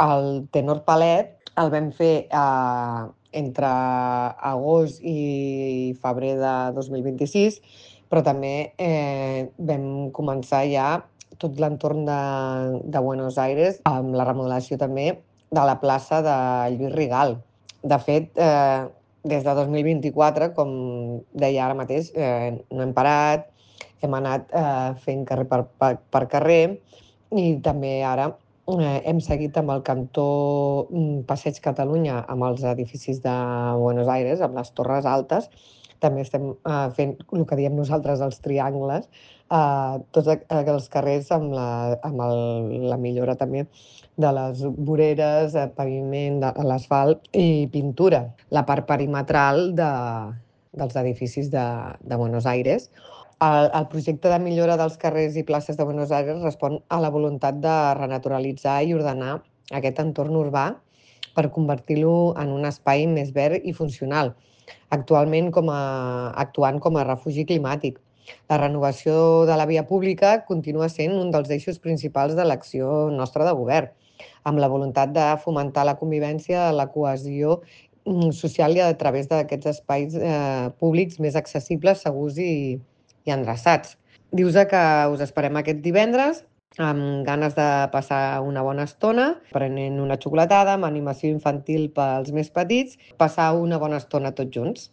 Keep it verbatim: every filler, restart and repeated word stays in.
El Tenor Palet el vam fer eh, entre agost i febrer de dos mil vint-i-sis, però també eh, vam començar ja tot l'entorn de, de Buenos Aires amb la remodelació també de la plaça de Lluís Rigal. De fet, eh, des de dos mil vint-i-quatre, com deia ara mateix, eh, no hem parat, hem anat eh, fent carrer per, per, per carrer i també ara eh, hem seguit amb el cantó mm, Passeig Catalunya, amb els edificis de Buenos Aires, amb les torres altes. També estem eh, fent el que diem nosaltres els triangles, eh, tots a- els carrers amb la, amb el, la millora també de les voreres, eh, paviment, de l'asfalt i pintura. La part perimetral de, dels edificis de, de Buenos Aires. El, el projecte de millora dels carrers i places de Buenos Aires respon a la voluntat de renaturalitzar i ordenar aquest entorn urbà per convertir-lo en un espai més verd i funcional, actualment com a, actuant com a refugi climàtic. La renovació de la via pública continua sent un dels eixos principals de l'acció nostra de govern, amb la voluntat de fomentar la convivència, la cohesió mm, social i a través d'aquests espais eh, públics més accessibles, segurs i, i endreçats. Dius que us esperem aquest divendres amb ganes de passar una bona estona, prenent una xocolatada, amb animació infantil pels més petits, passar una bona estona tots junts.